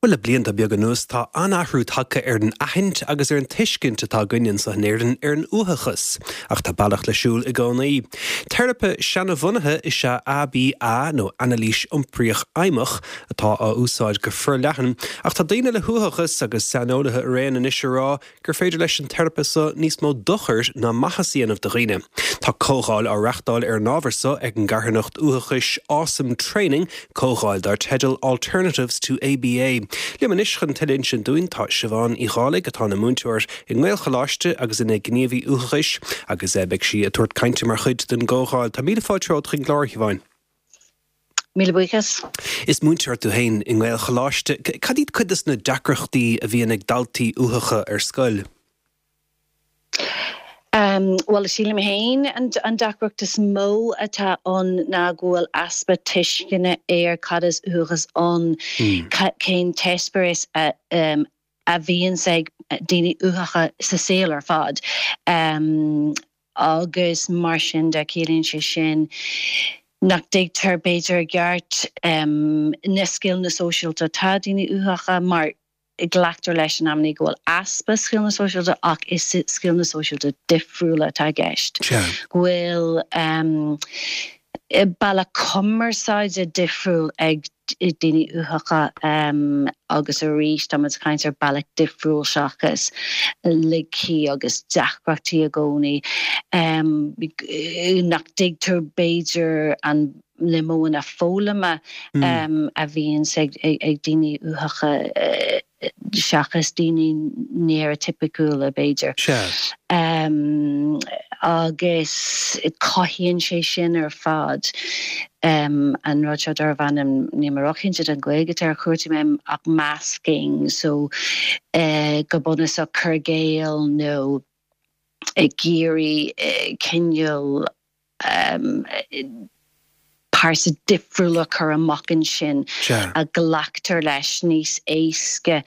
Bhuel, le blianta beaga anuas tá an-athrú tagtha ar an aithint agus ar an tuiscint atá againn anseo in Éirinn ar an uathachas. Ach tá bealach le siúl i gcónaí. Teiripe seanabhunaithe is ea ABA, nó Anailís Iompraíoch Fheidhmeach, atá á úsáid go forleathan. Ach tá daoine le huathachas agus saineolaithe araon anois ag rá gur féidir leis an teiripe so níos mó dochair ná maitheas a dhéanamh do dhaoine. Tá comhdháil á reachtáil ar an ábhar so ag an gcarthanacht uathachais Awesome Training, comhdháil dar teideal Alternatives to ABA. Liom anois chun tuilleadh a insint dúinn tá Siobhán Uí Dhálaigh atá ina múinteoir i nGaelcholáiste agus ina gníomhaí uathachais agus beidh sí ag tabhairt cainte mar chuid den gcomhdháil. Tá míle fáilte romhat chuig an gclár, a Shiobháin. Míle buíochas. Is múinteoir tú féin i nGaelcholáiste. Cad iad cuid de na deacrachtaí a bhíonn ag daltaí uathacha ar scoil? Bhuel, sílim féin an deacracht is mó atá ann ná go bhfuil easpa tuisceana ar cad is uathachas ann, cén t-eispéireas a a bhíonns ag daoine uathacha sa saol ar fad agus mar sin de ciallaíonn sé sin nach dtuigtear b'fhéidir i gceart na scileanna sóisialta atá ag daoine uathacha mar glactar leis in amannaí go bhfuil easpa scileanna sóisialta ach is scileanna sóisialta difriúla atá i gceist, go bhfuil bealach cumarsáide difriúil ag daoine uathacha agus arís tá muid ag caint ar bealach difriúil seachas laigí agus deacrachtaí i gcónaí nach dtuigtear b'fhéidir an na modhanna foghlama a bhíonns ag daoine uathacha seachas daoine néaraitipiciúla, b'fhéidir. Agus cothaíonn sé sin ar fad an rud seo darbh ainm, níl mé róchinnte den Ghaeilge atá ar chúrsaí mé, ach masking, so go bunúsach cur i gcéill nó ag iarraidh cineál pearsa difriúil a chur amach ansin a ghlactar leis níos éasca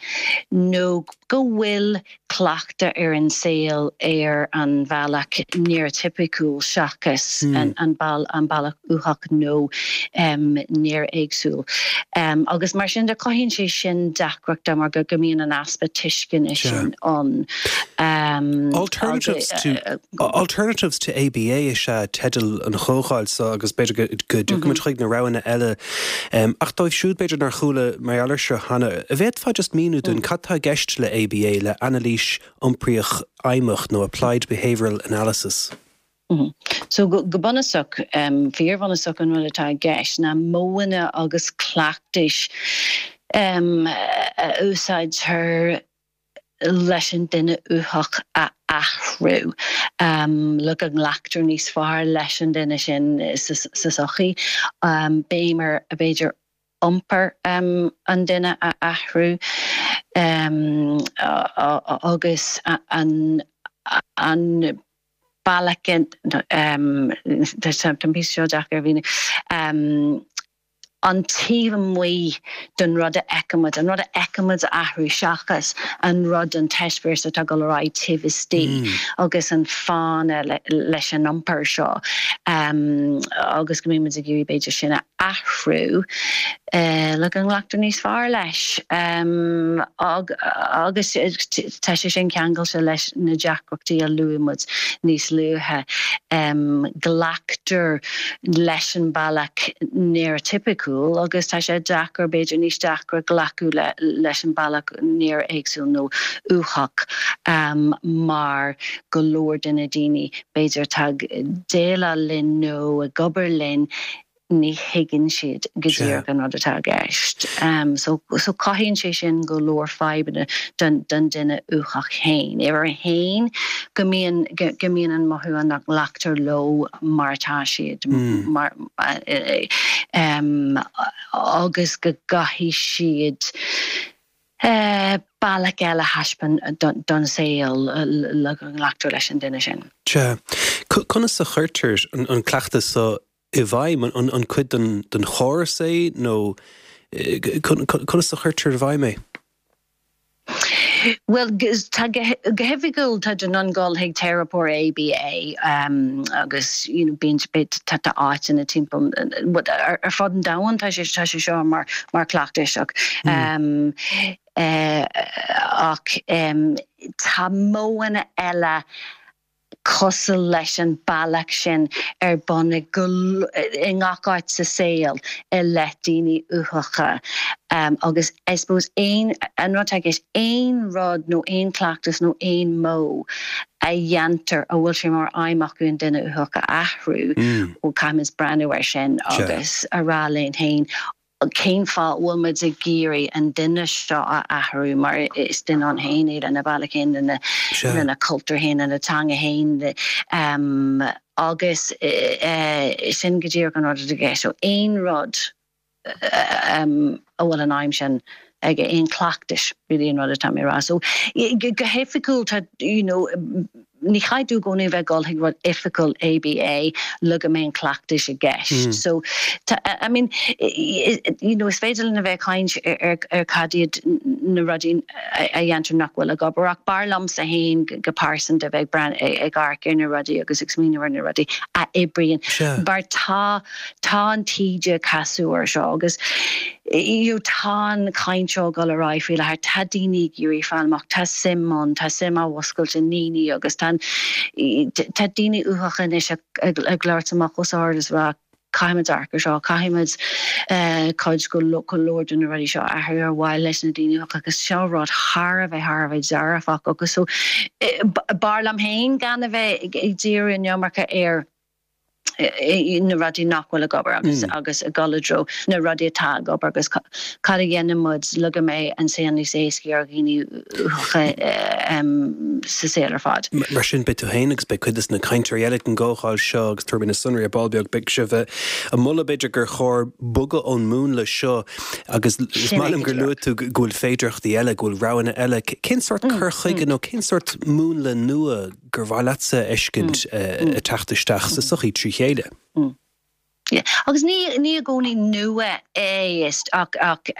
nó go bhfuil cleachtadh ar an saol ar an bhealach néaratipiciúil seachas an bealach uathach nó néara-éagsúil. Agus mar sin de cothaíonn sé sin deacrachta mar go mbíonn an easpa tuisceana sin ann. Alternatives to. Alternatives to ABA is ea teideal an chomhdháil seo agus b'fhéidir go dtiocfaidh muid chuig na roghanna eile. Ach dóibh siúd b'fhéidir nár chuala mar gheall air seo cheana, an bhféadfá just míniú dúinn cad tá i gceist le ABA, le Anailís Iompraíoch Fheidhmeach nó Applied Behavioural Analysis? So go bunúsach, fíorbhunúsach an rud atá i gceist ná modhanna agus cleachtais a úsáidtear leis an duine uathach a athrú, le go nglactar níos fearr leis an duine sin sa tsochaí. Béim ar, b'fhéidir, iompar an duine a athrú agus an bealach, tá an píosa seo deacair a mhíniú, an taobh amuigh den rud a fheicimid, an rud a fheicimid a athrú seachas an rud, an t-eispéireas atá ag dul ar aghaidh taobh istigh agus an fáthanna leis an iompar seo agus go mbímid ag iarraidh b'fhéidir sin a athrú le go nglactar níos fearr leis agus tá sé sin ceangailte leis na deacrachtaí a luaigh muid níos luaithe. Glactar leis an bealach néaratipiciúil agus tá sé deacair, b'fhéidir níos deacra glacadh leis an bealach néara-éagsúil nó uathach mar go leor de na daoine b'fhéidir atá ag déileáil linn nó ag obair linn ní thuigeann siad go díreach an rud atá i gceist. So cothaíonn sé sin go leor fadhbanna don duine uathach féin. Uimhir a haon, go mbíonn go mbíonn an mothú ann nach nglactar leo mar atá siad mar agus go gcaithfidh siad bealach eile a thaispeáint don saol le go nglactar leis an duine sin. Sea. Conas a chuirtear an cleachtas so i bhfeidhm? An cuid den chóras é nó conas a chuirtear i bhfeidhm é? Bhuel, tá, go hoifigiúil tá tú in ann dul chuig teiripeoir ABA agus you know bíonn, tá tá áiteanna timpeall ar fud an domhain tá sé tá sé seo mar mar cleachtais ach ach tá modhanna eile cosúil leis an bealach sin ar bun i i ngach áit sa saol i leith daoine uathacha agus I suppose aon, an rud atá i gceist, aon rud nó aon chleachtas nó aon mhodh a dhéantar a bhfuil sé mar aidhm acu an duine uathach a athrú, bhuel caithfimid breathnú air sin agus a rá linn féin cén fáth a bhfuil muid ag iarraidh an duine seo a athrú mar is duine ann féin é lena bhealach féin, lena chultúr féin, lena teanga féin agus sin go díreach an rud atá i gceist. So aon rud a bhfuil an aidhm sin aige, aon chleachtais really an rud atá mé a rá. So go hoifigiúil tá you know Ní chaithfidh tú i gcónaí a bheith ag dul chuig rud oifigiúil ABA le go mbeidh an cleachtais i gceist. So, tá, I mean, you know, is féidir linn a bheith ag caint ar ar cad iad na rudaí a dhéantar nach bhfuil ag obair ach b'fhearr liomsa féin go pearsanta a bheith ag breathnú, ag amharc ar na rudaí agus ag smaoineamh ar na rudaí a oibríonn mar tá, tá an taoide ag casadh air seo agus you know tá an chaint seo ag dul ar aghaidh faoi láthair, tá daoine ag iarraidh fáil amach, tá suim ann, tá suim á mhúscailt i ndaoine agus tá tá daoine uathacha anois ag ag labhairt amach os ard is rá caithfimid amharc ar seo, caithfimid cuid go go leor de na rudaí seo a athrú ar mhaithe leis na daoine uathacha agus seo rud thar a bheith thar a bheith dearfach agus so b'fhearr liom féin gan a bheith ag díriú an iomarca ar na rudaí nach bhfuil ag obair agus agus ag dul i dtreo na rudaí atá ag obair agus cad a dhéanann muid le go mbeidh an saol níos éascaí ar dhaoine uathacha sa saol ar fad. Mar sin, beidh tú féin agus beidh cuid de na cainteoirí eile ag an gcomhdháil seo agus tabharfaidh mé na sonraí ar ball beag, beidh sibh ag moladh b'fhéidir gur chóir bogadh ón múnla seo agus is maith liom gur luaigh tú go bhfuil féidearthachtaí eile, go bhfuil roghanna eile. Cén sórt cur chuige nó cén sórt múnla nua gur mhaith leatsa a fheiscint ag teacht isteach sa sochaí trí chéile. Agus ní ní i gcónaí nua é is ach ach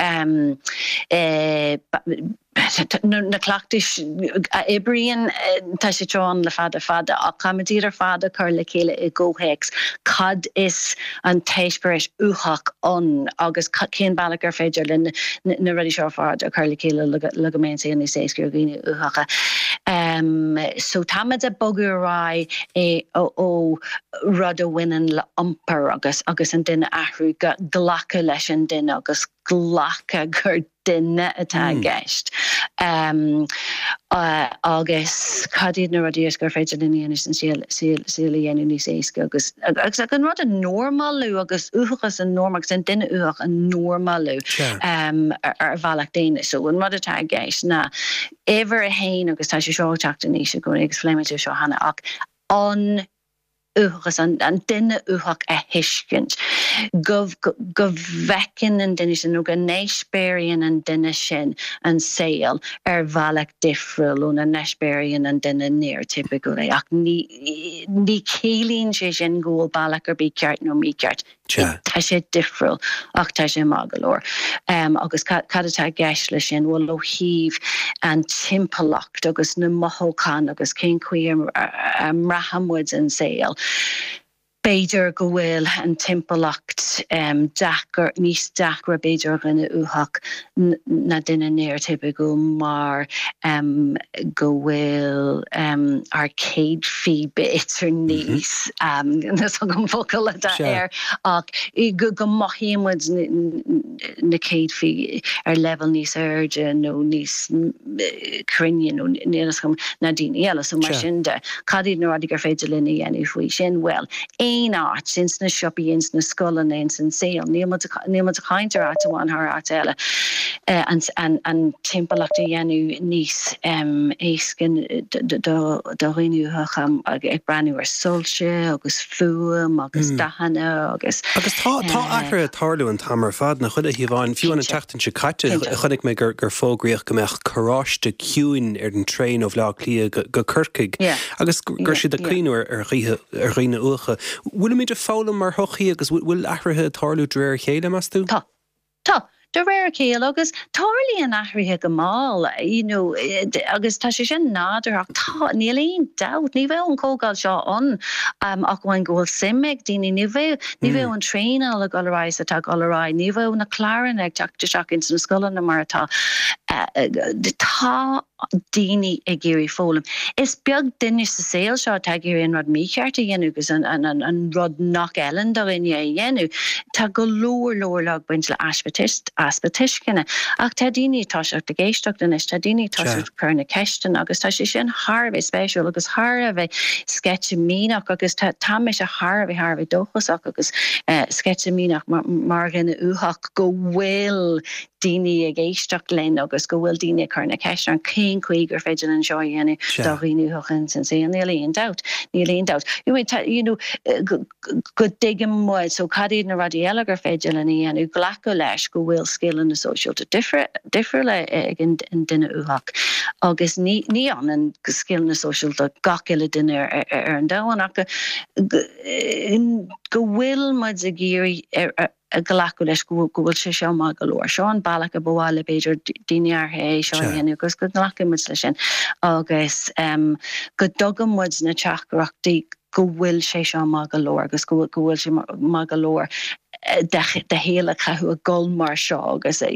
na cleachtais a oibríonn tá siad seo ann le fada fada ach caithfimid iad ar fad a chur le chéile i gcomhthéacs cad is an t-eispéireas uathach ann agus cén bealach ar féidir linn na rudaí seo ar fad a chur le chéile le go mbeidh an saol níos éasca ar dhaoine uathacha. So táimid ag bogadh ar aghaidh ó rud a bhaineann le iompar agus agus an duine a athrú go glacadh leis an duine agus glacadh gur duine atá i gceist. Agus cad iad na rudaí is gur féidir linn a dhéanamh an saol saol a dhéanamh níos éasca agus agus an rud a normalú agus uathachas a normalú agus an duine uathach a normalú ar bhealach daonna. So an rud atá i gceist ná uimhir a haon agus tá sé seo ag teacht aníos i gcónaí agus phléigh muid é seo cheana ach an uathachas, an duine uathach a thuiscint, go go bhfeiceann an duine sin nó go n-eispéiríonn an duine sin an saol ar bhealach difriúil óna n-eispéiríonn an duine néaratipiciúil é. Ach ní ní chiallaíonn sé sin go bhfuil bealach ar bith ceart nó mícheart. Tá sé difriúil ach tá sé maith go leor. Agus cad atá i gceist leis sin? Bhuel, ó thaobh an timpeallacht agus na mothúcháin agus cén chaoi a mbraitheann muid an saol, b'fhéidir go bhfuil an timpeallacht deacair, níos deacra b'fhéidir ar dhuine uathach ná duine néaratipiciúil mar go bhfuil ár céadfaí b'fhéidir níos, níl a fhios agam an focal atá air, ach go mothaíonn muid na céadfaí ar leibhéal níos airde nó níos cruinne nó níl a fhios agam ná daoine eile. So mar sin de, cad iad na rudaí gur féidir linn a dhéanamh faoi sin? Bhuel, aon áit, ins na siopaí, ins na scoileanna, ins an saol, níl muid, níl muid ag caint ar áit amháin thar áit eile, an, an timpeallacht a dhéanamh níos éasca do dhaoine uathacha ag breathnú ar soilse agus fuaim agus dathanna agus. Agus tá, tá athruithe ag tarlú an t-am ar fad, nach bhfuil a Shiobháin? Fiú an tseachtain seo caite, chonaic mé gur, gur fógraíodh go mbeadh carráiste ciúin ar an traein ó Bhaile Átha Cliath go Corcaigh. Agus go raibh siad ag cuimhniú ar dhaoine uathacha. Bhfuilimid ag foghlaim mar shochaí agus bhfuil athruithe ag tarlú de réir a chéile, meas tú? Tá. Tá. De réir a chéile, agus tarlaíonn athruithe go mall, you know, agus tá sé sin nádúrtha ach tá, níl aon dabht, ní bheadh an chomhdháil seo ann ach amháin go bhfuil suim ag daoine, ní bheadh, ní bheadh an traenáil ag dul ar aghaidh is atá ag dul ar aghaidh, ní bheadh na cláranna ag teacht isteach ins na scoileanna mar atá. Tá. daoine ag iarraidh foghlaim. Is beag duine sa saol seo atá ag iarraidh an rud mícheart a dhéanamh agus an rud nach fheileann do dhuine a dhéanamh. Tá go leor, leor, leor ag baint le easpa tuisceana. Ach tá daoine ag toiseacht ag éisteacht anois, tá daoine ag toiseacht ag cur na ceisteanna agus tá sé sin thar a bheith spéisiúil agus thar a bheith sceitimíneach agus tá mise thar a bheith, thar a bheith dóchasach agus sceitimíneach mar dhuine uathach go bhfuil daoine ag éisteacht linn agus go bhfuil daoine ag cur na ceisteanna orainn cén chaoi gur féidir linn seo a dhéanamh do dhaoine uathacha ins an saol. Níl aon dabht. Níl aon dabht. You know, you know, go dtuigeann muid, so cad iad na rudaí eile gur féidir linn a dhéanamh, glacadh leis go bhfuil scileanna sóisialta difriúla ag an duine uathach agus ní ní ionann scileanna sóisialta gach uile duine ar an domhan ach go bhfuil muid ag iarraidh a ghlacadh leis go bhfuil sé seo maith go leor. Seo an bealach a ba mhaith le b'fhéidir daoine áirithe é seo a dhéanamh agus go nglacfaidh muid leis sin agus go dtugann muid na teachtaireachtaí go bhfuil sé seo maith go leor agus go bhfuil sé maith go leor do shaol a chaitheamh ag dul mar seo agus ag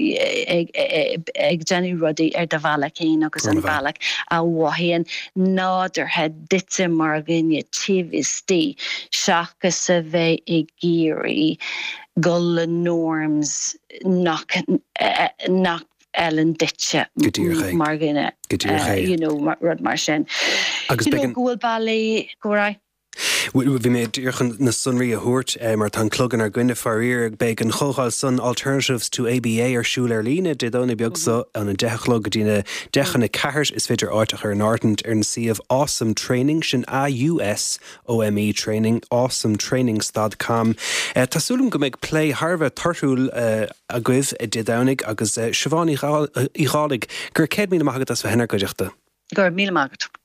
déanamh rudaí ar do bhealach féin agus an bealach a mhothaíonn nádúrtha duitse mar dhuine taobh istigh seachas a bheith ag iarraidh dul le norms nach nach fheileann duitse mar dhuine, you know, rud mar sin. Agus You know, go bhfuil bealaí, go raibh. Bhí mé díreach chun na sonraí a thabhairt mar tá an clog inár gcoinne faraor. Beidh an chomhdháil san Alternatives to ABA ar siúl ar líne Dé Domhnaigh beag seo ón 10 a chlog go dtí na 10 chun 4. Is féidir áit a chur in áirithint ar an suíomh Ausome Training, sin A-U-S OME Training, awesome stad com. Tá súil agam go mbeidh plé thar a bheith torthúil agaibh Dé Domhnaigh agus Siobhán Uí Dhálaigh, go raibh 100,000 maith agat as bheith inár gcuideachta. Go raibh míle maith agat.